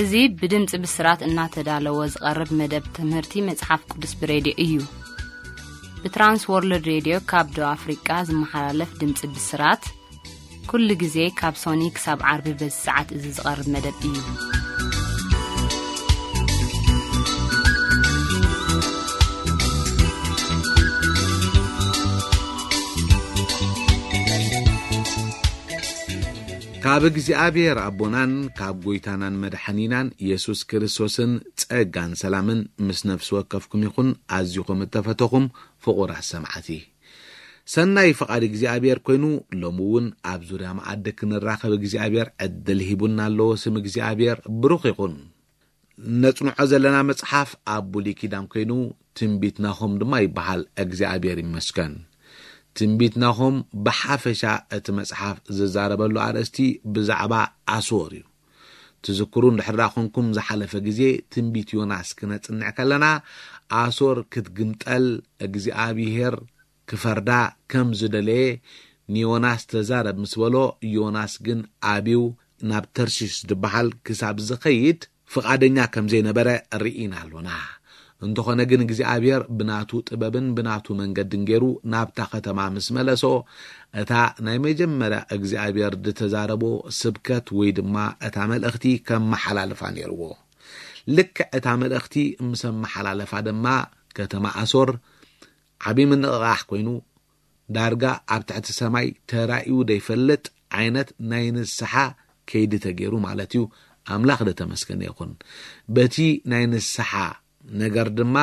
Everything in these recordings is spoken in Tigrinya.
እዚ ብድምፂ ብስራት እናተዳለወ ዝቐርብ መደብ ትምህርቲ መጽሓፍ ቅዱስ ብሬድዮ እዩ። ብትራንስ ወርልድ ሬድዮ ካብ ደቡብ ኣፍሪቃ ዝመሓላለፍ ድምፂ ብስራት፣ ኩሉ ግዜ ካብ ሶኒ ክሳብ ዓርቢ በዚ ሰዓት እዚ ዝቐርብ መደብ እዩ። ካብ እግዚኣብሔር ኣቦናን ካብ ጐይታናን መድሓኒናን ኢየሱስ ክርስቶስን ጸጋን ሰላምን ምስ ነፍሲ ወከፍኩም ይኹን። ኣዚኹም እተፈተኹም ፍቑራት ሰማዕቲ፣ ሰናይ ፍቓድ እግዚኣብሔር ኮይኑ፣ ሎሚ እውን ኣብ ዙርያ መኣዲ ክንራኸብ እግዚኣብሔር ዕድል ሂቡና ኣሎ። ስም እግዚኣብሔር ብሩኽ ይኹን። ነጽንዖ ዘለና መጽሓፍ ኣብ ብሉይ ኪዳን ኮይኑ፣ ትንቢት ናሆም ድማ ይበሃል። እግዚኣብሔር ይመስገን። ትንቢት ናሆም ብሓፈሻ እቲ መጽሓፍ ዝዛረበሉ ኣርእስቲ ብዛዕባ ኣሶር እዩ። ትዝክሩ እንድሕር ደኣ ኾንኩም፣ ዝሓለፈ ግዜ ትንቢት ዮናስ ክነጽንዕ ከለና፣ ኣሶር ክትግምጠል እግዚኣብሔር ክፈርዳ ከም ዝደለየ ንዮናስ ተዛረብ ምስ በሎ፣ ዮናስ ግን ኣብዩ ናብ ተርሺሽ ዝበሃል ክሳብ ዝኸይድ ፍቓደኛ ከም ዘይነበረ ርኢና ኣሎና። እንተኾነ ግን እግዚኣብሔር ብናቱ ጥበብን ብናቱ መንገድን ገይሩ ናብታ ከተማ ምስ መለሶ፣ እታ ናይ መጀመርያ እግዚኣብሔር ዝተዛረቦ ስብከት ወይ ድማ እታ መልእኽቲ ከመሓላልፋ ነይርዎ። ልክዕ እታ መልእኽቲ ምስ ኣመሓላለፋ ድማ ከተማ ኣሶር ዓብዪ ምንቕቓሕ ኮይኑ፣ ዳርጋ ኣብ ትሕቲ ሰማይ ተራእዩ ዘይፈልጥ ዓይነት ናይ ንስሓ ከይዲ ተገይሩ ማለት እዩ። ኣምላኽ ደተመስገነ ይኹን። በቲ ናይ ንስሓ ነገር ድማ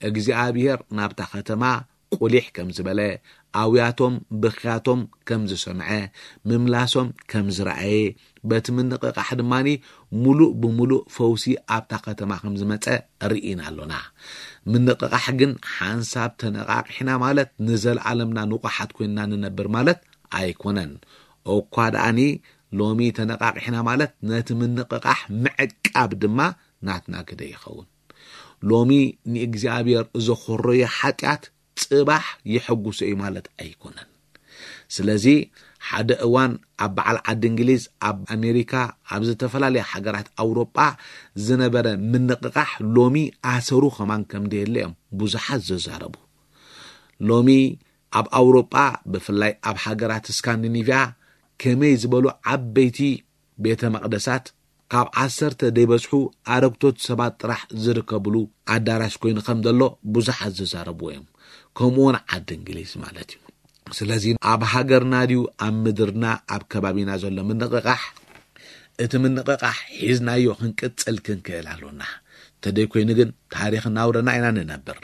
እግዚኣብሔር ናብታ ከተማ ቁሊሕ ከም ዝበለ፣ ኣውያቶም ብኽያቶም ከም ዝሰምዐ፣ ምምላሶም ከም ዝረኣየ፣ በቲ ምንቕቓሕ ድማኒ ሙሉእ ብሙሉእ ፈውሲ ኣብታ ከተማ ከም ዝመጸ ርኢና ኣሎና። ምንቕቓሕ ግን ሓንሳብ ተነቓቒሕና ማለት ንዘለኣለምና ንቑሓት ኮይንና ንነብር ማለት ኣይኮነን። እኳ ደኣኒ ሎሚ ተነቓቒሕና ማለት ነቲ ምንቕቓሕ ምዕቃብ ድማ ናትና ግደ ይኸውን። ሎሚ ንእግዚኣብሔር ዘኾረዮ ሓጢኣት ጽባሕ የሐጉሶ እዩ ማለት ኣይኮነን። ስለዚ ሓደ እዋን ኣብ በዓል ዓዲ እንግሊዝ፣ ኣብ ኣሜሪካ፣ ኣብ ዝተፈላለያ ሃገራት ኣውሮጳ ዝነበረ ምንቕቓሕ ሎሚ ኣሰሩ ከማን ከም ደየለ እዮም ብዙሓት ዝዛረቡ። ሎሚ ኣብ ኣውሮጳ ብፍላይ ኣብ ሃገራት ስካንዲኒቭያ ከመይ ዝበሉ ዓበይቲ ቤተ መቕደሳት ካብ ዓሰርተ ደይበዝሑ ኣረግቶት ሰባት ጥራሕ ዝርከብሉ ኣዳራሽ ኮይኑ ከም ዘሎ ብዙሓት ዝዛረብዎ እዮም። ከምኡ እውን ዓዲ እንግሊዝ ማለት እዩ። ስለዚ ኣብ ሃገርና ድዩ ኣብ ምድርና ኣብ ከባቢና ዘሎ ምንቕቓሕ፣ እቲ ምንቕቓሕ ሒዝናዮ ክንቅጽል ክንክእል ኣሎና። እንተደይ ኮይኑ ግን ታሪኽ እናውረና ኢና ንነብር።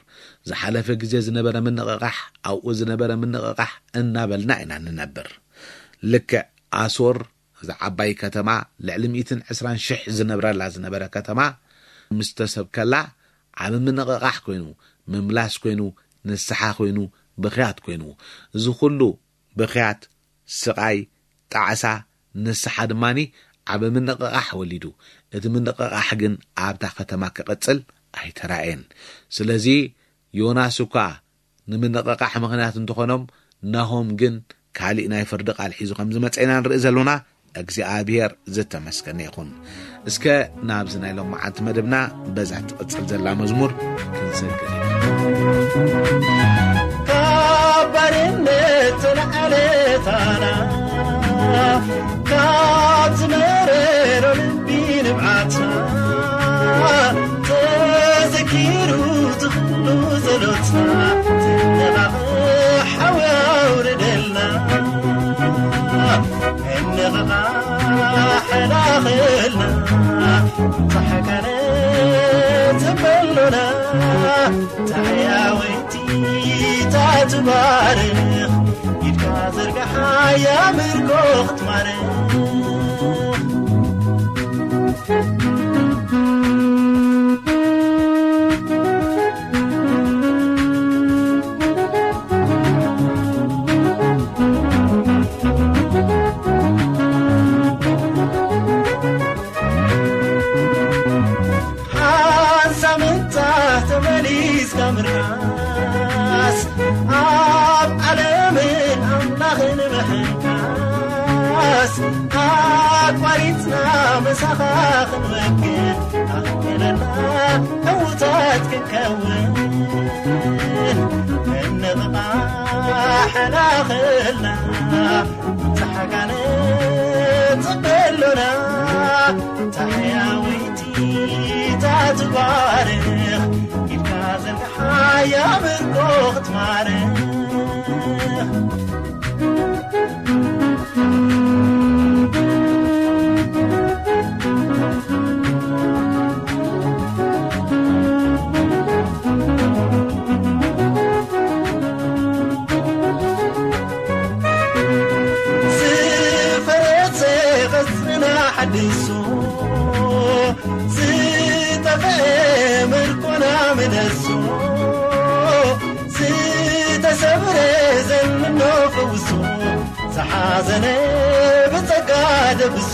ዝሓለፈ ግዜ ዝነበረ ምንቕቓሕ፣ ኣብኡ ዝነበረ ምንቕቓሕ እናበልና ኢና ንነብር። ልክዕ ኣሶር፣ እዛ ዓባይ ከተማ፣ ልዕሊ ሚእትን ዕስራን ሽሕ ዝነብረላ ዝነበረ ከተማ ምስ ተሰብከላ፣ ዓቢ ምንቕቓሕ ኮይኑ፣ ምምላስ ኮይኑ፣ ንስሓ ኮይኑ፣ ብኽያት ኮይኑ፣ እዚ ኩሉ ብኽያት፣ ስቓይ፣ ጣዕሳ፣ ንስሓ ድማኒ ዓቢ ምንቕቓሕ ወሊዱ። እቲ ምንቕቓሕ ግን ኣብታ ከተማ ክቕጽል ኣይተራእየን። ስለዚ ዮናስ እኳ ንምንቕቓሕ ምኽንያት እንተኾኖም፣ ናሆም ግን ካሊእ ናይ ፍርዲ ቃል ሒዙ ከም ዝመጸ ኢና ንርኢ ዘሎና። እግዚኣብሔር ዝተመስገነ ይኹን። እስከ ናብዚ ናይ ሎማዓንቲ መደብና በዛ ትቕጽል ዘላ መዝሙር ክንሰግር ኢና። ካብ ባርነት ተላዕለታና፣ ካብ ዝመረሮ ልቢ ንብዓትና፣ ተዘኪሩ ዝኽሉ ጸሎትና፣ ትነቓቕ ሓዊ ኣውርደልና። እንቕቓሕ ላኽልና፣ ጻሕቃነ ዘበሉና፣ ታሕያወይቲ ታትባርኽ፣ ኢድካ ዘርጋሓ ያምርኮ ክትማርኽ። ሓንሳብ ምንጻህ ተመሊስካ ምርካስ፣ ኣብ ዓለምን ኣምላኽን ምሕንካስ፣ ኣብ ኣቋሪጽና ምሳኻ ክንወግን ኣኽኢለና ዕዉታት ክንከውን እንቕቓሕ ናኽልና ጸሓጋነ ጽበሎና ታሕያወይቲ ታትባርኽ ኢድካ ዘርግሓ ያምርኮ ክትማርኽ ዝፈረሰ ቅርጽና ሓድሶ ዝጠፍአ ምርኮና ምለሶ ዝተሰብረ ዘንኖ ፈውሶ ዝሓዘነ ብጸጋ ደብሶ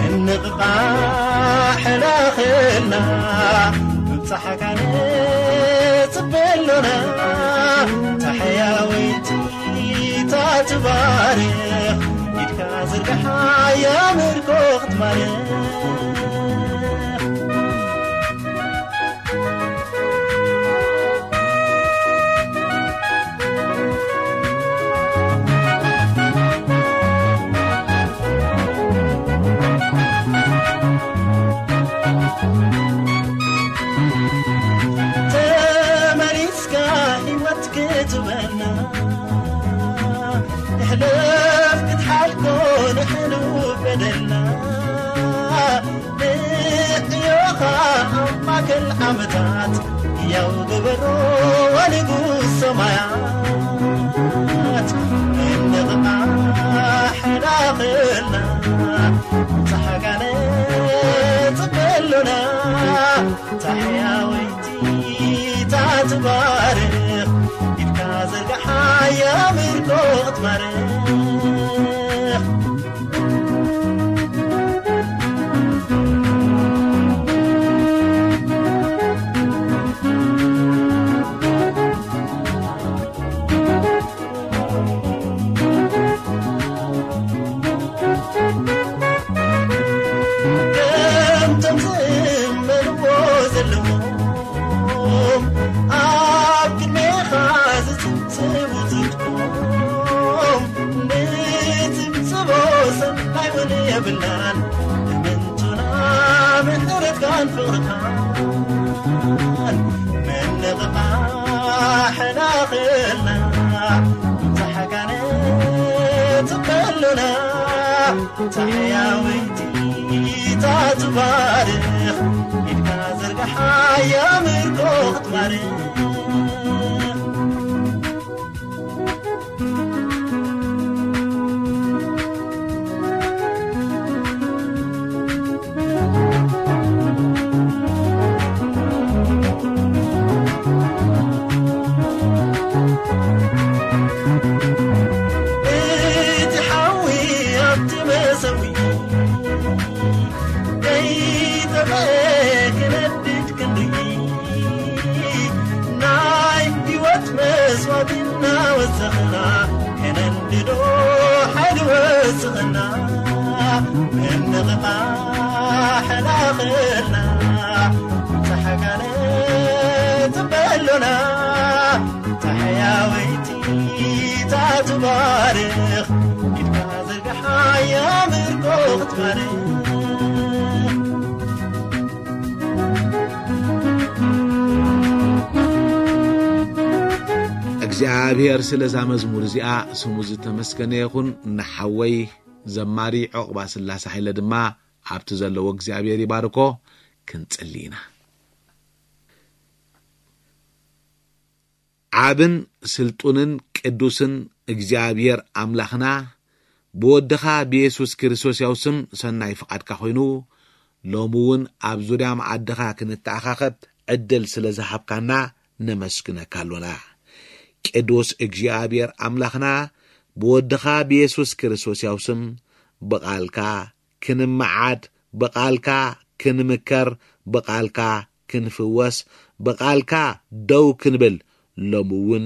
እንቕቓሕ ላኽልና ምብጻሕካ ንጽበ ኣሎና ታሕያወይቲ ታትባርኽ ኢድካ ዝርግሓ ያምርኮ ክትማርኽ ተመሊስካ ህይወት ክትበና እሕለፍ ክትሓልኮ ንሕሉ በደልና ንዕዮኻ ኣብ ማእከል ዓመታት ሕያው ግበሮ ንጉስ ሰማያት እንቕቓሕ ላኽልና ጸሓጋነ ጽበሉና ታሕያወይቲ ታትባርኽ ኢድካ ዘርግሓ ያምርኮ ክትማርኽ ከምቶም ዝእመንዎ ዘለዎም ኣብ ቅድሜኻ ዝጽብጽቡ ጽድቆም ንጽብጽቦ ሰናይ እውን የብልናን እምንቱና ምሕረትካን ፍቕርካን ምንቕቓሕ ናኽልና ዛሕጋነ ጽበሉና ታሕያወይቲ ታትባርኽ ኢድካ ዘርግሓ ያምርኮ ክትማርኽ እቲ ሓዊ ኣብቲ መሰዊ ከይጠፍአ ክነድድ ክንርኢ ናይ ህይወት መስዋዕቲ እናወሰኽና ከነንድዶ ሓይሊ ወስኽና እንቕቓሕ ላኽልና ጻሕጋነ ጽበሉና ታሕያወይቲ ታትባርኽ ኢድካ ዘርግሓ ያምርኮ ክትባርኽ እግዚኣብሔር ስለዛ መዝሙር እዚኣ ስሙ ዝተመስገነ ይኹን። ንሓወይ ዘማሪ ዑቕባ ስላሰ ሓይለ ድማ ኣብቲ ዘለዎ እግዚኣብሔር ይባርኮ። ክንጽሊ ኢና። ዓብን ስልጡንን ቅዱስን እግዚኣብሔር ኣምላኽና ብወድኻ ብየሱስ ክርስቶስ ያው ስም ሰናይ ፍቓድካ ኮይኑ ሎሚ እውን ኣብ ዙርያ መዓድኻ ክንተኣኻኸብ ዕድል ስለ ዝሃብካና ነመስግነካ ኣሎና። ቅዱስ እግዚኣብሔር ኣምላኽና ብወድኻ ብየሱስ ክርስቶስ ያው ስም ብቓልካ ክንመዓድ፣ ብቓልካ ክንምከር፣ ብቓልካ ክንፍወስ፣ ብቓልካ ደው ክንብል፣ ሎሚ እውን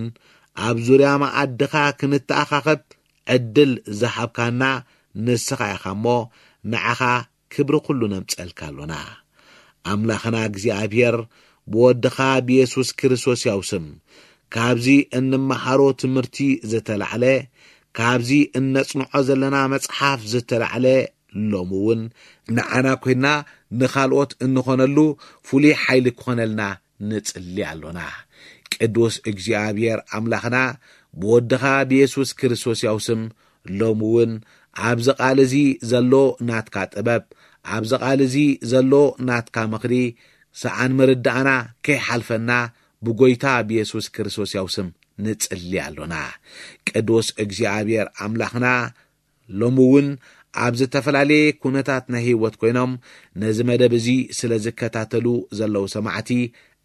ኣብ ዙርያ መኣድኻ ክንተኣኻኸብ ዕድል ዝሃብካና ንስኻ ኢኻ እሞ፣ ንዓኻ ክብሪ ኩሉ ነምጸልካ ኣሎና። ኣምላኽና እግዚኣብሔር፣ ብወድኻ ብየሱስ ክርስቶስ ያው ስም፣ ካብዚ እንመሃሮ ትምህርቲ ዝተላዕለ፣ ካብዚ እነጽንዖ ዘለና መጽሓፍ ዝተላዕለ፣ ሎሚ እውን ንዓና ኮይና ንኻልኦት እንኾነሉ ፍሉይ ሓይሊ ክኾነልና ንጽሊ ኣሎና። ቅዱስ እግዚኣብሔር ኣምላኽና፣ ብወድኻ ብየሱስ ክርስቶስ ያው ስም፣ ሎሚ እውን ኣብዚ ቃል እዚ ዘሎ ናትካ ጥበብ፣ ኣብዚ ቃል እዚ ዘሎ ናትካ ምኽሪ፣ ሰኣን ምርዳእና ከይሓልፈና፣ ብጎይታ ብየሱስ ክርስቶስ ያው ስም ንጽሊ ኣሎና። ቅዱስ እግዚኣብሔር ኣምላኽና፣ ሎሚ እውን ኣብ ዝተፈላለየ ኩነታት ናይ ህይወት ኮይኖም ነዚ መደብ እዚ ስለ ዝከታተሉ ዘለዉ ሰማዕቲ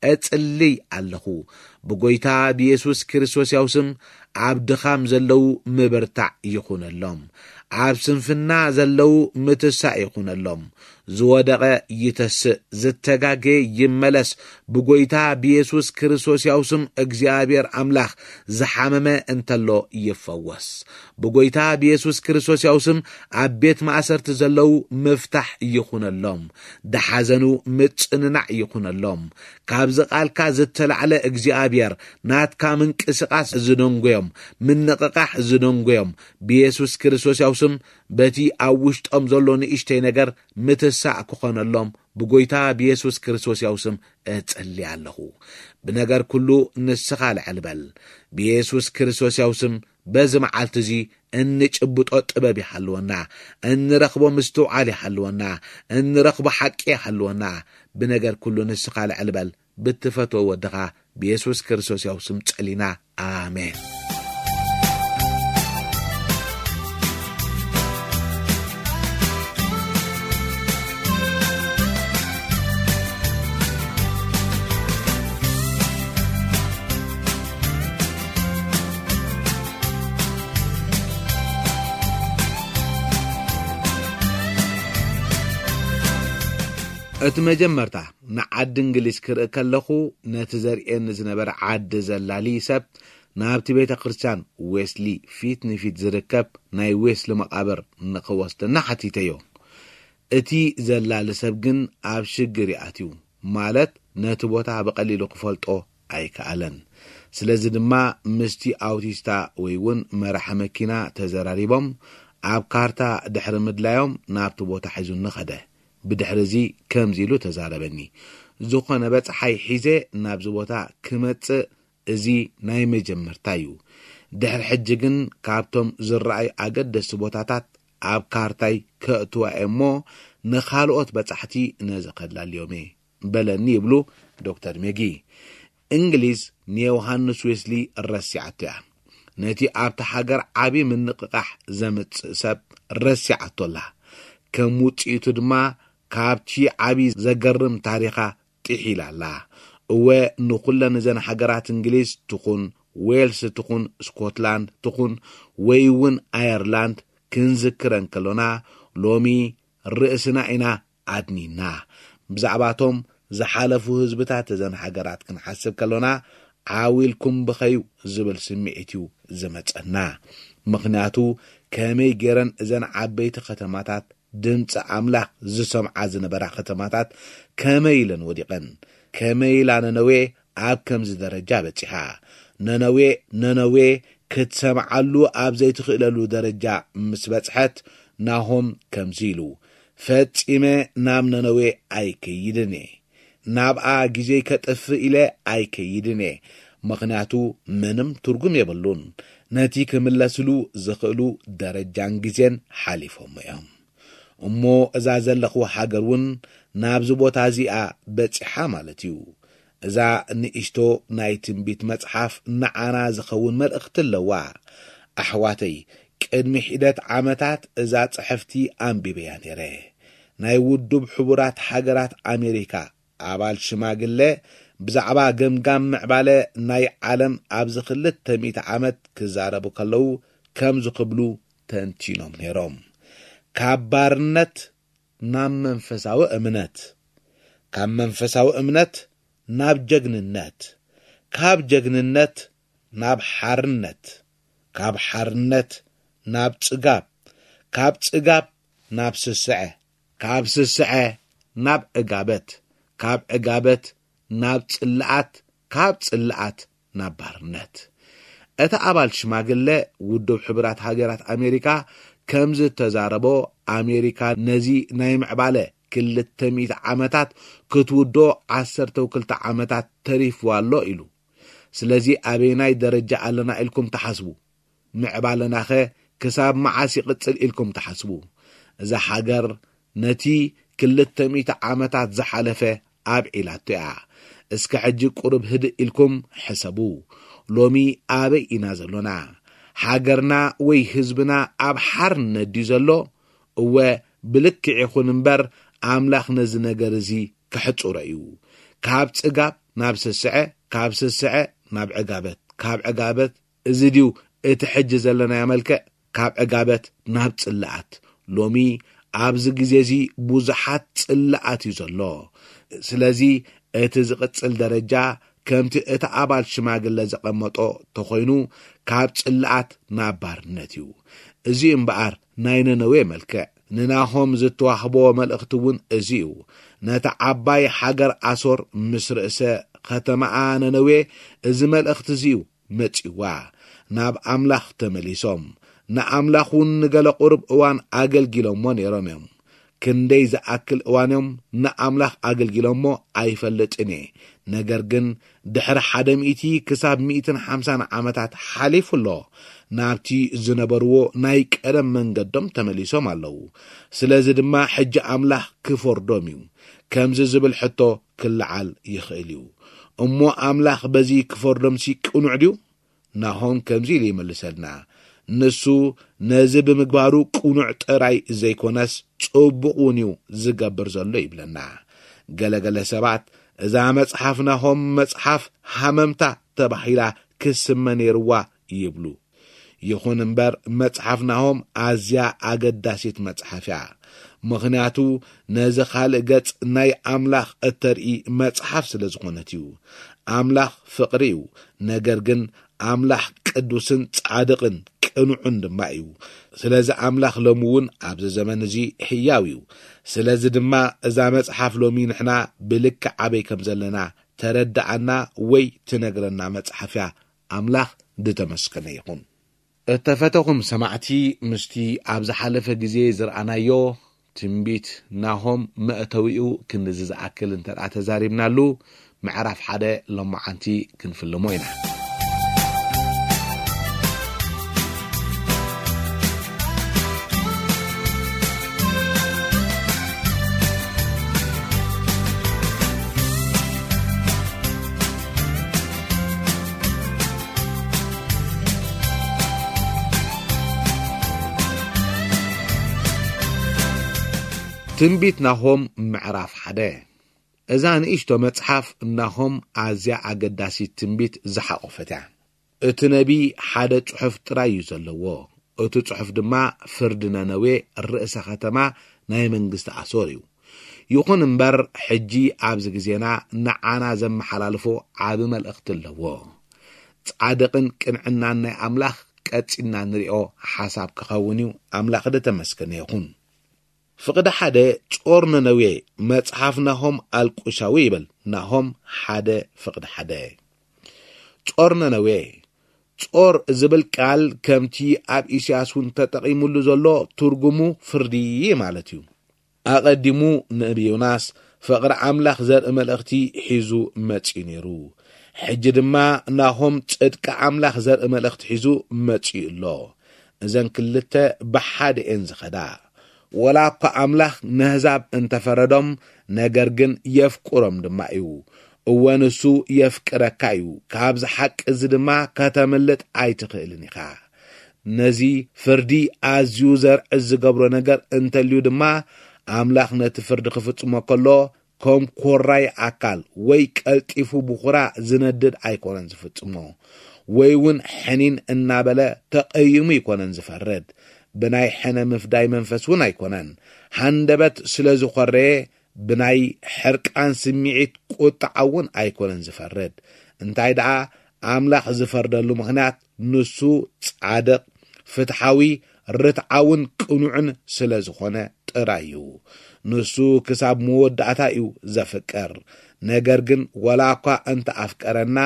እጽልይ ኣለኹ። ብጎይታ ብየሱስ ክርስቶስ ያው ስም ኣብ ድኻም ዘለዉ ምብርታዕ ይኹነሎም። ኣብ ስንፍና ዘለዉ ምትሳእ ይኹነሎም። ዝወደቐ ይተስእ፣ ዝተጋገየ ይመለስ። ብጎይታ ብየሱስ ክርስቶስ ያው ስም እግዚኣብሔር ኣምላኽ ዝሓመመ እንተሎ ይፈወስ። ብጎይታ ብየሱስ ክርስቶስ ያው ስም ኣብ ቤት ማእሰርቲ ዘለዉ ምፍታሕ ይኹነሎም። ድሓዘኑ ምጽንናዕ ይኹነሎም። ካብዚ ቃልካ ዝተላዕለ እግዚኣብሔር ናትካ ምንቅስቃስ ዝደንጎዮም፣ ምንቕቃሕ ዝደንጎዮም፣ ብየሱስ ክርስቶስ ያው ስም በቲ ኣብ ውሽጦም ዘሎ ንእሽተይ ነገር ምትሳእ ክኾነሎም ብጎይታ ብየሱስ ክርስቶስ ያው ስም እጽሊ ኣለኹ። ብነገር ኩሉ ንስኻ ልዕል በል። ብየሱስ ክርስቶስ ያው ስም በዚ መዓልቲ እዚ እንጭብጦ ጥበብ ይሃልወና፣ እንረኽቦ ምስትውዓል ይሃልወና፣ እንረኽቦ ሓቂ ይሃልወና። ብነገር ኩሉ ንስኻ ልዕል በል። ብትፈትዎ ወድኻ ብየሱስ ክርስቶስ ያው ስም ጸሊና። ኣሜን። እቲ መጀመርታ ንዓዲ እንግሊዝ ክርኢ ከለኹ፣ ነቲ ዘርእየኒ ዝነበረ ዓዲ ዘላሊ ሰብ ናብቲ ቤተ ክርስቲያን ዌስሊ ፊት ንፊት ዝርከብ ናይ ዌስሊ መቓብር ንኽወስደና ሓቲተዮ። እቲ ዘላሊ ሰብ ግን ኣብ ሽግር ይኣትዩ፣ ማለት ነቲ ቦታ ብቐሊሉ ክፈልጦ ኣይከኣለን። ስለዚ ድማ ምስቲ ኣውቲስታ ወይ እውን መራሒ መኪና ተዘራሪቦም ኣብ ካርታ ድሕሪ ምድላዮም ናብቲ ቦታ ሒዙኒ ኸደ። ብድሕሪ እዚ ከምዚ ኢሉ ተዛረበኒ። ዝኾነ በጽሓይ ሒዘ ናብዚ ቦታ ክመጽእ እዚ ናይ መጀመርታ እዩ። ድሕሪ ሕጂ ግን ካብቶም ዝረኣዩ ኣገደስቲ ቦታታት ኣብ ካርታይ ከእትዋ እየ እሞ ንኻልኦት በጻሕቲ ነዚ ከላልዮም እየ በለኒ ይብሉ ዶክተር ሜጊ። እንግሊዝ ንዮሃንስ ዌስሊ ረሲዓቶ እያ። ነቲ ኣብቲ ሃገር ዓቢ ምንቕቓሕ ዘምጽእ ሰብ ረሲዓቶ ኣላ። ከም ውጽኢቱ ድማ ካብቲ ዓቢ ዘገርም ታሪኻ ጥሒላ ኣላ። እወ፣ ንኹለን እዘን ሃገራት እንግሊዝ ትኹን፣ ዌልስ ትኹን፣ ስኮትላንድ ትኹን፣ ወይ እውን ኣየርላንድ ክንዝክረን ከሎና፣ ሎሚ ርእስና ኢና ኣድኒና። ብዛዕባቶም ዝሓለፉ ህዝብታት እዘን ሃገራት ክንሓስብ ከሎና፣ ዓው ኢልኩም ብኸዩ ዝብል ስምዒት እዩ ዝመጸና። ምኽንያቱ፣ ከመይ ገይረን እዘን ዓበይቲ ከተማታት ድምፂ ኣምላኽ ዝሰምዓ ዝነበራ ከተማታት ከመይ ኢለን ወዲቐን? ከመይ ኢላ ነነዌ ኣብ ከምዚ ደረጃ በጺሓ? ነነዌ፣ ነነዌ ክትሰምዓሉ ኣብ ዘይትኽእለሉ ደረጃ ምስ በጽሐት፣ ናሆም ከምዚ ኢሉ፣ "ፈጺመ ናብ ነነዌ ኣይከይድን እየ። ናብኣ ግዜይ ከጥፍእ ኢለ ኣይከይድን እየ። ምኽንያቱ ምንም ትርጉም የብሉን። ነቲ ክምለስሉ ዝኽእሉ ደረጃን ግዜን ሓሊፎሞ እዮም። እሞ እዛ ዘለኽዋ ሃገር እውን ናብዚ ቦታ እዚኣ በጺሓ ማለት እዩ። እዛ ንእሽቶ ናይ ትንቢት መጽሓፍ ንዓና ዝኸውን መልእኽቲ ኣለዋ። ኣሕዋተይ፣ ቅድሚ ሒደት ዓመታት እዛ ጽሕፍቲ ኣንቢበያ ነይረ። ናይ ውድብ ሕቡራት ሃገራት ኣሜሪካ ኣባል ሽማግለ ብዛዕባ ገምጋም ምዕባለ ናይ ዓለም ኣብዚ ክልተ ሚእቲ ዓመት ክዛረቡ ከለዉ ከምዚ ክብሉ ተንቲኖም ነይሮም። ካብ ባርነት ናብ መንፈሳዊ እምነት፣ ካብ መንፈሳዊ እምነት ናብ ጀግንነት፣ ካብ ጀግንነት ናብ ሓርነት፣ ካብ ሓርነት ናብ ጽጋብ፣ ካብ ጽጋብ ናብ ስስዐ፣ ካብ ስስዐ ናብ ዕጋበት፣ ካብ ዕጋበት ናብ ጽልኣት፣ ካብ ጽልኣት ናብ ባርነት። እቲ ኣባል ሽማግለ ውድብ ሕቡራት ሃገራት ኣሜሪካ ከም ዝተዛረቦ፣ ኣሜሪካ ነዚ ናይ ምዕባለ ክልተ ሚእቲ ዓመታት ክትውድኦ ዓሰርተ ክልተ ዓመታት ተሪፍዋ ኣሎ ኢሉ። ስለዚ ኣበየናይ ደረጃ ኣለና ኢልኩም ትሓስቡ? ምዕባለናኸ ክሳብ መዓስ ይቕጽል ኢልኩም ትሓስቡ? እዛ ሃገር ነቲ ክልተ ሚእቲ ዓመታት ዝሓለፈ ኣብዒላቶ እያ። እስከ ሕጂ ቁሩብ ህድእ ኢልኩም ሕሰቡ። ሎሚ ኣበይ ኢና ዘሎና? ሃገርና ወይ ህዝብና ኣብ ሓርነት ድዩ ዘሎ? እወ፣ ብልክዕ ይኹን እምበር፣ ኣምላኽ ነዚ ነገር እዚ ክሕጽሮ እዩ። ካብ ጽጋብ ናብ ስስዐ፣ ካብ ስስዐ ናብ ዕጋበት፣ ካብ ዕጋበት፣ እዚ ድዩ እቲ ሕጂ ዘለናዮ መልክዕ? ካብ ዕጋበት ናብ ጽልኣት። ሎሚ ኣብዚ ግዜ እዚ ብዙሓት ጽልኣት እዩ ዘሎ። ስለዚ እቲ ዝቕጽል ደረጃ ከምቲ እቲ ኣባል ሽማግለ ዘቐመጦ ተኾይኑ፣ ካብ ጽልኣት ናብ ባርነት እዩ። እዚ እምበኣር ናይ ነነዌ መልክዕ። ንናሆም ዝተዋህቦ መልእኽቲ እውን እዚ እዩ። ነታ ዓባይ ሃገር ኣሶር ምስ ርእሰ ኸተማኣ ነነዌ እዚ መልእኽቲ እዚ እዩ መጺዋ። ናብ ኣምላኽ ተመሊሶም፣ ንኣምላኽ እውን ንገለ ቁሩብ እዋን ኣገልጊሎሞ ነይሮም እዮም። ክንደይ ዝኣክል እዋን እዮም ንኣምላኽ ኣገልጊሎሞ ኣይፈልጥን እየ። ነገር ግን ድሕሪ ሓደ ሚእቲ ክሳብ ሚእትን ሓምሳን ዓመታት ሓሊፉ ኣሎ። ናብቲ ዝነበርዎ ናይ ቀደም መንገዶም ተመሊሶም ኣለዉ። ስለዚ ድማ ሕጂ ኣምላኽ ክፈርዶም እዩ። ከምዚ ዝብል ሕቶ ክለዓል ይኽእል እዩ። እሞ ኣምላኽ በዚ ክፈርዶምሲ ቅኑዕ ድዩ? ናሆም ከምዚ ኢሉ ይመልሰልና። ንሱ ነዚ ብምግባሩ ቅኑዕ ጥራይ ዘይኮነስ ጽቡቕ እውን እዩ ዝገብር ዘሎ ይብለና። ገለገለ ሰባት እዛ መጽሓፍ ናሆም መጽሓፍ ሃመምታ ተባሂላ ክስመ ነይርዋ ይብሉ። ይኹን እምበር መጽሓፍ ናሆም ኣዝያ ኣገዳሲት መጽሓፍ እያ። ምኽንያቱ ነዚ ካልእ ገጽ ናይ ኣምላኽ እተርኢ መጽሓፍ ስለ ዝኾነት እዩ። ኣምላኽ ፍቕሪ እዩ። ነገር ግን ኣምላኽ ቅዱስን ጻድቕን ቅኑዕን ድማ እዩ። ስለዚ ኣምላኽ ሎሚ እውን ኣብዚ ዘመን እዚ ሕያው እዩ። ስለዚ ድማ እዛ መጽሓፍ ሎሚ ንሕና ብልክዕ ኣበይ ከም ዘለና ተረድኣና ወይ ትነግረና መጽሓፍ እያ። ኣምላኽ ዝተመስገነ ይኹን። እተፈተኹም ሰማዕቲ፣ ምስቲ ኣብ ዝሓለፈ ግዜ ዝረኣናዮ ትንቢት ናሆም መእተዊኡ ክንድዚ ዝኣክል እንተ ደኣ ተዛሪብናሉ፣ ምዕራፍ ሓደ ሎማዓንቲ ክንፍልሞ ኢና። ትንቢት ናሆም ምዕራፍ ሓደ። እዛ ንእሽቶ መጽሓፍ ናሆም ኣዝያ ኣገዳሲት ትንቢት ዝሓቖፈት እያ። እቲ ነቢ ሓደ ጽሑፍ ጥራይ እዩ ዘለዎ። እቲ ጽሑፍ ድማ ፍርዲ ነነዌ፣ ርእሰ ኸተማ ናይ መንግስቲ ኣሶር እዩ። ይኹን እምበር፣ ሕጂ ኣብዚ ግዜና ንዓና ዘመሓላልፎ ዓቢ መልእኽቲ ኣለዎ። ጻድቕን ቅንዕናን ናይ ኣምላኽ ቀጺልና ንሪኦ ሓሳብ ክኸውን እዩ። ኣምላኽ ዝተመስገነ ይኹን። ፍቕዲ ሓደ፣ ጾር ነነዌ፣ መጽሓፍ ናሆም ኣልቁሻዊ ይብል። ናሆም ሓደ ፍቕዲ ሓደ። ጾር ነነዌ። ጾር ዝብል ቃል ከምቲ ኣብ ኢሳያስ እውን ተጠቒሙሉ ዘሎ ትርጉሙ ፍርዲ ማለት እዩ። ኣቐዲሙ ንነቢ ዮናስ ፍቕሪ ኣምላኽ ዘርኢ መልእኽቲ ሒዙ መጺኡ ነይሩ። ሕጂ ድማ ናሆም ጽድቂ ኣምላኽ ዘርኢ መልእኽቲ ሒዙ መጺኡ ኣሎ። እዘን ክልተ ብሓደ እየን ዝኸዳ። ወላ እኳ ኣምላኽ ነህዛብ እንተፈረዶም፣ ነገር ግን የፍቅሮም ድማ እዩ። እወ፣ ንሱ የፍቅረካ እዩ። ካብዚ ሓቂ እዚ ድማ ከተምልጥ ኣይትኽእልን ኢኻ። ነዚ ፍርዲ ኣዝዩ ዘርዕድ ዝገብሮ ነገር እንተልዩ ድማ፣ ኣምላኽ ነቲ ፍርዲ ክፍጽሞ ከሎ፣ ከም ኮራይ ኣካል ወይ ቀልጢፉ ብኹራ ዝነድድ ኣይኮነን ዝፍጽሞ፣ ወይ እውን ሕኒን እናበለ ተቐይሙ ኣይኮነን ዝፈርድ። ብናይ ሕነ ምፍዳይ መንፈስ እውን ኣይኮነን። ሃንደበት ስለ ዝኾረየ፣ ብናይ ሕርቃን ስምዒት ቁጥዓ እውን ኣይኮነን ዝፈርድ። እንታይ ደኣ፣ ኣምላኽ ዝፈርደሉ ምኽንያት፣ ንሱ ጻድቕ፣ ፍትሓዊ፣ ርትዓውን ቅኑዕን ስለ ዝኾነ ጥራይ እዩ። ንሱ ክሳብ መወዳእታ እዩ ዘፍቅር። ነገር ግን፣ ወላ እኳ እንተ ኣፍቀረና፣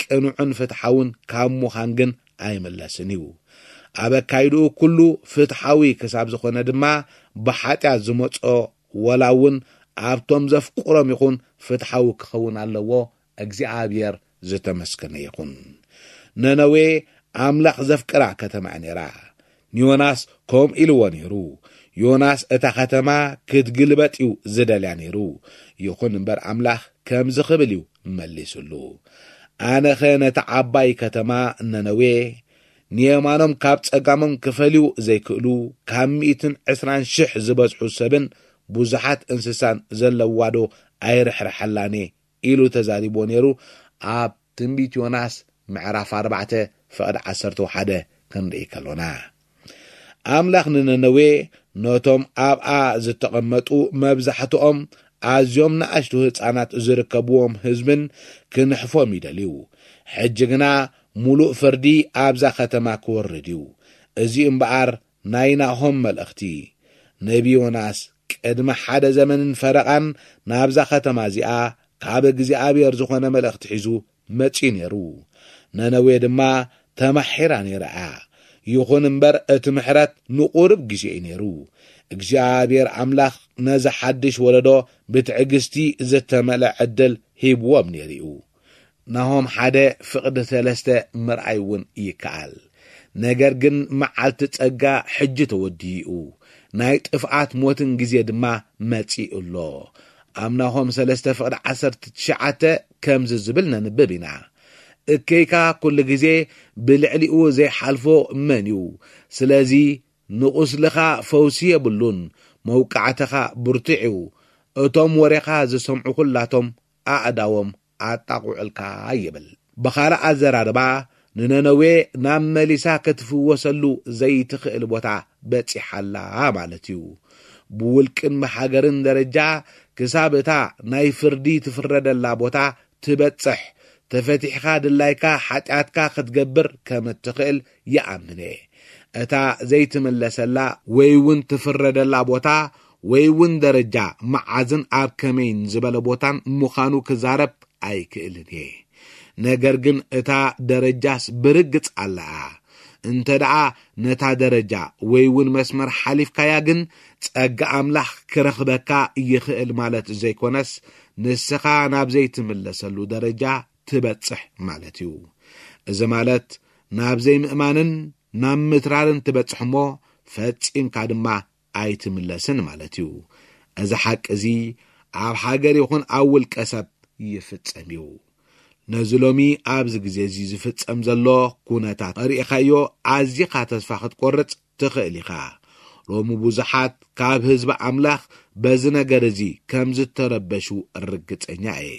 ቅኑዕን ፍትሓውን ካብ ምዃን ግን ኣይምለስን እዩ። ኣብ ኣካይድኡ ኩሉ ፍትሓዊ ክሳብ ዝኾነ ድማ፣ ብሓጢኣት ዝመጾ ወላ እውን ኣብቶም ዘፍቅሮም ይኹን ፍትሓዊ ክኸውን ኣለዎ። እግዚኣብሔር ዝተመስገነ ይኹን። ነነዌ ኣምላኽ ዘፍቅራ ከተማ እያ ነይራ። ንዮናስ ከምኡ ኢልዎ ነይሩ። ዮናስ እታ ከተማ ክትግልበጥ እዩ ዝደልያ ነይሩ። ይኹን እምበር ኣምላኽ ከምዚ ክብል እዩ መሊሱሉ። ኣነኸ ነታ ዓባይ ከተማ ነነዌ ንየማኖም ካብ ጸጋሞም ክፈልዩ ዘይክእሉ ካብ ሚእትን ዕስራን ሽሕ ዝበዝሑ ሰብን ብዙሓት እንስሳን ዘለዋ ዶ ኣይርሕርሐላን እየ ኢሉ ተዛሪቦ ነይሩ። ኣብ ትንቢት ዮናስ ምዕራፍ ኣርባዕተ ፍቕዲ ዓሰርተ ሓደ ክንርኢ ከሎና፣ ኣምላኽ ንነነዌ ነቶም ኣብኣ ዝተቐመጡ መብዛሕትኦም ኣዝዮም ንኣሽቱ ህፃናት ዝርከብዎም ህዝብን ክንሕፎም ይደልዩ። ሕጂ ግና ሙሉእ ፍርዲ ኣብዛ ከተማ ክወርድ እዩ። እዚ እምበኣር ናይ ናሆም መልእኽቲ። ነቢ ዮናስ ቅድሚ ሓደ ዘመንን ፈረቓን ናብዛ ከተማ እዚኣ ካብ እግዚኣብሔር ዝኾነ መልእኽቲ ሒዙ መጺኡ ነይሩ። ነነዌ ድማ ተማሒራ ነይራ እያ። ይኹን እምበር እቲ ምሕረት ንቑሩብ ግዜ እዩ ነይሩ። እግዚኣብሔር ኣምላኽ ነዚ ሓድሽ ወለዶ ብትዕግስቲ ዝተመልአ ዕድል ሂብዎም ነይሩ እዩ። ናሆም ሓደ ፍቕዲ ሰለስተ ምርኣይ እውን ይከኣል። ነገር ግን መዓልቲ ጸጋ ሕጂ ተወዲኡ፣ ናይ ጥፍኣት ሞትን ግዜ ድማ መጺኡ ኣሎ። ኣብ ናሆም ሰለስተ ፍቕዲ ዓሰርተ ትሽዓተ ከምዚ ዝብል ነንብብ ኢና። እከይካ ኩሉ ግዜ ብልዕሊኡ ዘይሓልፎ መን እዩ? ስለዚ ንቑስልኻ ፈውሲ የብሉን፣ መውቃዕትኻ ብርቱዕ እዩ። እቶም ወሬኻ ዝሰምዑ ኩላቶም ኣእዳዎም ኣጣቑዕልካ ይብል። ብኻልእ ኣዘራርባ ንነነዌ ናብ መሊሳ ክትፍወሰሉ ዘይትኽእል ቦታ በጺሓላ ማለት እዩ። ብውልቅን ብሃገርን ደረጃ ክሳብ እታ ናይ ፍርዲ ትፍረደላ ቦታ ትበጽሕ፣ ተፈቲሕካ ድላይካ ሓጢኣትካ ክትገብር ከም እትኽእል ይኣምን እየ። እታ ዘይትምለሰላ ወይ እውን ትፍረደላ ቦታ ወይ እውን ደረጃ መዓዝን ኣብ ከመይን ዝበለ ቦታን ምዃኑ ክዛረብ ኣይክእልን እየ። ነገር ግን እታ ደረጃስ ብርግጽ ኣለኣ። እንተ ደኣ ነታ ደረጃ ወይ እውን መስመር ሓሊፍካያ ግን ጸጋ ኣምላኽ ክረኽበካ ይኽእል ማለት ዘይኮነስ፣ ንስኻ ናብ ዘይትምለሰሉ ደረጃ ትበጽሕ ማለት እዩ። እዚ ማለት ናብ ዘይምእማንን ናብ ምትራርን ትበጽሕ እሞ ፈጺምካ ድማ ኣይትምለስን ማለት እዩ። እዚ ሓቂ እዚ ኣብ ሃገር ይኹን ኣብ ውልቀ ሰብ ይፍጸም እዩ። ነዚ ሎሚ ኣብዚ ግዜ እዚ ዝፍጸም ዘሎ ኩነታት ርኢኻዮ ኣዚኻ ተስፋ ክትቆርጽ ትኽእል ኢኻ። ሎሚ ብዙሓት ካብ ህዝቢ ኣምላኽ በዚ ነገር እዚ ከም ዝተረበሹ ርግጸኛ እየ።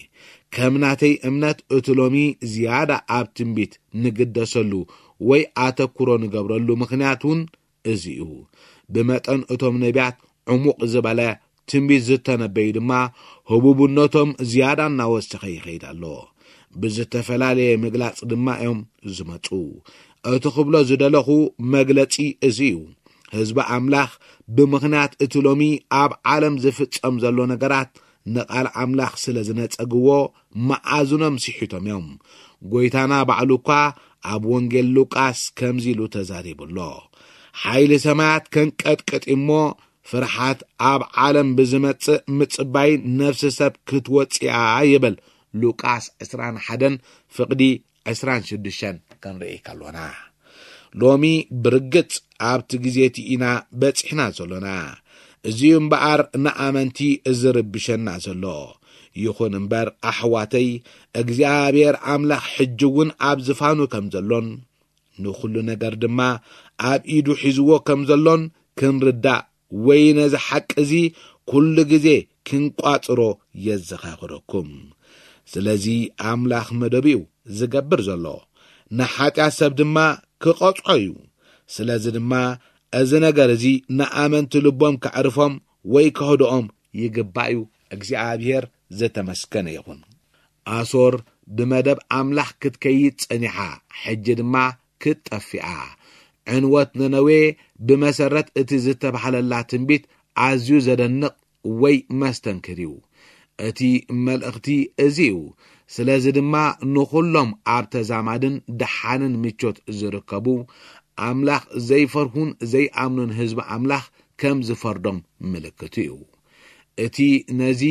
ከም ናተይ እምነት እቲ ሎሚ ዝያዳ ኣብ ትንቢት ንግደሰሉ ወይ ኣተኩሮ ንገብረሉ ምኽንያት እውን እዚ እዩ። ብመጠን እቶም ነቢያት ዕሙቕ ዝበለ ትንቢት ዝተነበዩ ድማ ህቡብነቶም ዝያዳ እናወሰኸ ይኸይድ ኣሎ። ብዝተፈላለየ ምግላጽ ድማ እዮም ዝመጹ። እቲ ክብሎ ዝደለኹ መግለጺ እዚ እዩ። ህዝቢ ኣምላኽ ብምኽንያት እቲ ሎሚ ኣብ ዓለም ዝፍጸም ዘሎ ነገራት ንቓል ኣምላኽ ስለ ዝነጸግዎ መኣዝኖም ስሒቶም እዮም። ጐይታና ባዕሉ እኳ ኣብ ወንጌል ሉቃስ ከምዚ ኢሉ ተዛሪቡ ኣሎ። ሓይሊ ሰማያት ከንቀጥቅጥ እሞ ፍርሓት ኣብ ዓለም ብዝመጽእ ምጽባይ ነፍሲ ሰብ ክትወጽእ እያ ይብል ሉቃስ ዕስራን ሓደን ፍቕዲ ዕስራን ሽዱሽተን ክንርኢ ከሎና። ሎሚ ብርግጽ ኣብቲ ግዜ እቲ ኢና በጺሕና ዘሎና። እዚ እምበኣር ንኣመንቲ ዝርብሸና ዘሎ። ይኹን እምበር ኣሕዋተይ፣ እግዚኣብሔር ኣምላኽ ሕጂ እውን ኣብ ዝፋኑ ከም ዘሎን ንኹሉ ነገር ድማ ኣብ ኢዱ ሒዝዎ ከም ዘሎን ክንርዳእ ወይ ነዚ ሓቂ እዚ ኩሉ ግዜ ክንቋጽሮ የዘኻኽረኩም። ስለዚ ኣምላኽ መደቡ እዩ ዝገብር ዘሎ፣ ንሓጢኣት ሰብ ድማ ክቐጽዖ እዩ። ስለዚ ድማ እዚ ነገር እዚ ንኣመንቲ ልቦም ከዕርፎም ወይ ከህድኦም ይግባእ እዩ። እግዚኣብሔር ዝተመስገነ ይኹን። ኣሶር ብመደብ ኣምላኽ ክትከይድ ጸኒሓ፣ ሕጂ ድማ ክትጠፍኣ። ዕንወት ነነዌ ብመሰረት እቲ ዝተባህለላ ትንቢት ኣዝዩ ዘደንቕ ወይ መስተንክር እዩ። እቲ መልእኽቲ እዚ እዩ። ስለዚ ድማ ንኹሎም ኣብ ተዛማድን ደሓንን ምቾት ዝርከቡ፣ ኣምላኽ ዘይፈርሁን ዘይኣምኑን ህዝቢ ኣምላኽ ከም ዝፈርዶም ምልክቱ እዩ። እቲ ነዚ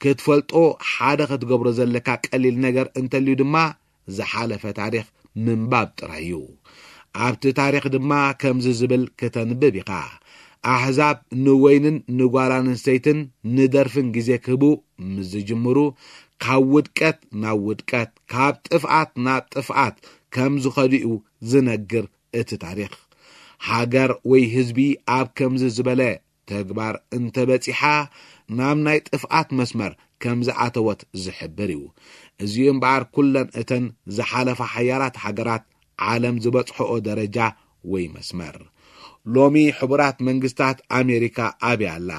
ክትፈልጦ ሓደ ክትገብሮ ዘለካ ቀሊል ነገር እንተልዩ ድማ ዝሓለፈ ታሪኽ ምንባብ ጥራይ እዩ። ኣብቲ ታሪኽ ድማ ከምዚ ዝብል ክተንብብ ኢኻ። ኣሕዛብ ንወይንን ንጓል ኣንስተይትን ንደርፍን ግዜ ክህቡ ምስ ዝጅምሩ፣ ካብ ውድቀት ናብ ውድቀት፣ ካብ ጥፍኣት ናብ ጥፍኣት ከም ዝኸዱ እዩ ዝነግር እቲ ታሪኽ። ሃገር ወይ ህዝቢ ኣብ ከምዚ ዝበለ ተግባር እንተበጺሓ፣ ናብ ናይ ጥፍኣት መስመር ከም ዝኣተወት ዝሕብር እዩ። እዚኡ እምበኣር ኩለን እተን ዝሓለፋ ሓያላት ሃገራት ዓለም ዝበጽሕኦ ደረጃ ወይ መስመር። ሎሚ ሕቡራት መንግስታት ኣሜሪካ ኣበይ ኣላ?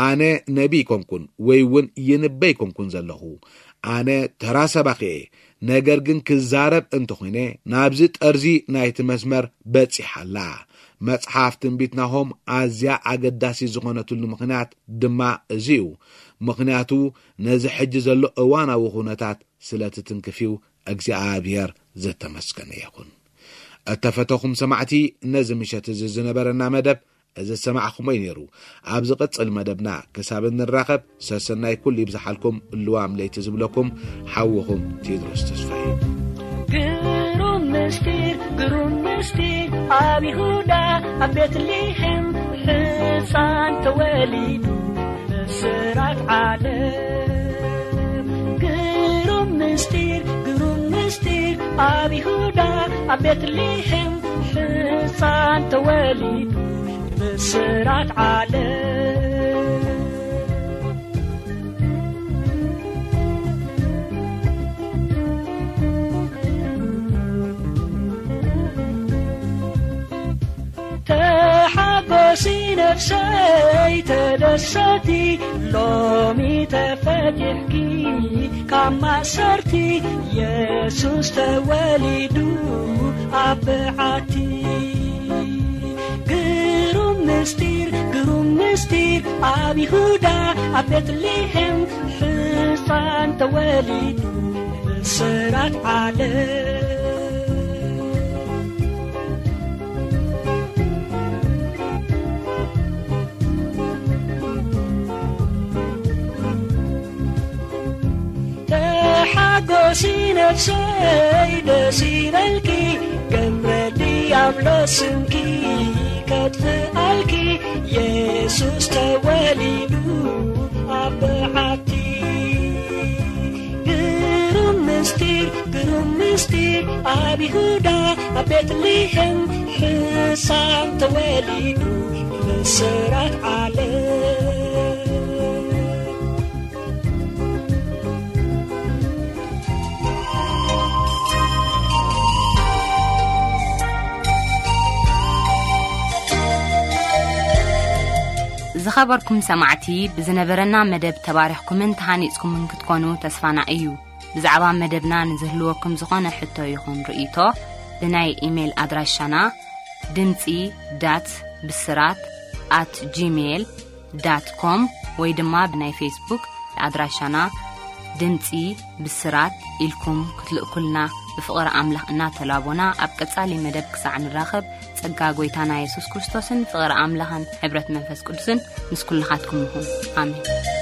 ኣነ ነቢ ኣይኮንኩን ወይ እውን ይንበ ኣይኮንኩን ዘለኹ። ኣነ ተራ ሰባኺ እየ። ነገር ግን ክዛረብ እንተኾይነ ናብዚ ጠርዚ ናይቲ መስመር በጺሓ ኣላ። መጽሓፍ ትንቢት ናሆም ኣዝያ ኣገዳሲ ዝኾነትሉ ምኽንያት ድማ እዚ እዩ። ምኽንያቱ ነዚ ሕጂ ዘሎ እዋናዊ ኩነታት ስለ ትትንክፍ እዩ። እግዚኣብሔር ዝተመስገነ ይኹን። እተፈተኹም ሰማዕቲ፣ ነዚ ምሸት እዚ ዝነበረና መደብ እዚ ዝሰማዕኹሞ እዩ ነይሩ። ኣብ ዝቕጽል መደብና ክሳብ እንራኸብ ሰሰናይ ኩሉ ይብዝሓልኩም። ልዋም ለይቲ ዝብለኩም ሓውኹም ቴድሮስ ተስፋ እዩ። ግሩም ምስጢር፣ ግሩም ምስጢር፣ ኣብ ይሁዳ ኣብ ቤትልሔም ሕፃን ተወሊዱ ብስራት ዓለም። ግሩም ምስጢር፣ ግሩም ምስጢር፣ ኣብ ይሁዳ ኣብ ቤትልሔም ሕፃን ተወሊዱ ብስራት ዓለም። ተሓጎሲ ነፍሰይ ተደሰቲ፣ ሎሚ ተፈቲሕኪ ካብ ማእሰርቲ፣ የሱስ ተወሊዱ ኣብ በዓቲ። ግሩም ምስጢር፣ ግሩም ምስጢር፣ ኣብ ይሁዳ ኣብ ቤትልሔም ሕፃን ተወሊዱ ብስራት ዓለም። ተሓጎሲ ነፍሰይ ደስ ይበልኪ፣ ገብረ ዲያብሎ ስምኪ ከጥፍኣልኪ፣ የሱስ ተወሊዱ ኣብ በዓቲ። ግሩም ምስጢር፣ ግሩም ምስጢር፣ ኣብ ይሁዳ ኣብ ቤትልሔም ሕፃን ተወሊዱ ብስራት ዓለም። ዝኸበርኩም ሰማዕቲ፣ ብዝነበረና መደብ ተባሪኽኩምን ተሃኒጽኩምን ክትኮኑ ተስፋና እዩ። ብዛዕባ መደብና ንዝህልወኩም ዝኾነ ሕቶ ይኹን ርእይቶ፣ ብናይ ኢሜይል ኣድራሻና ድምጺ ዳት ብስራት ኣት ጂሜይል ዳት ኮም ወይ ድማ ብናይ ፌስቡክ ኣድራሻና ድምጺ ብስራት ኢልኩም ክትልእኩልና ብፍቕሪ ኣምላኽ እናተላቦና፣ ኣብ ቀጻሊ መደብ ክሳዕ ንራኸብ፣ ጸጋ ጐይታና የሱስ ክርስቶስን ፍቕሪ ኣምላኽን ሕብረት መንፈስ ቅዱስን ምስ ኩልኻትኩም ይኹን። ኣሜን።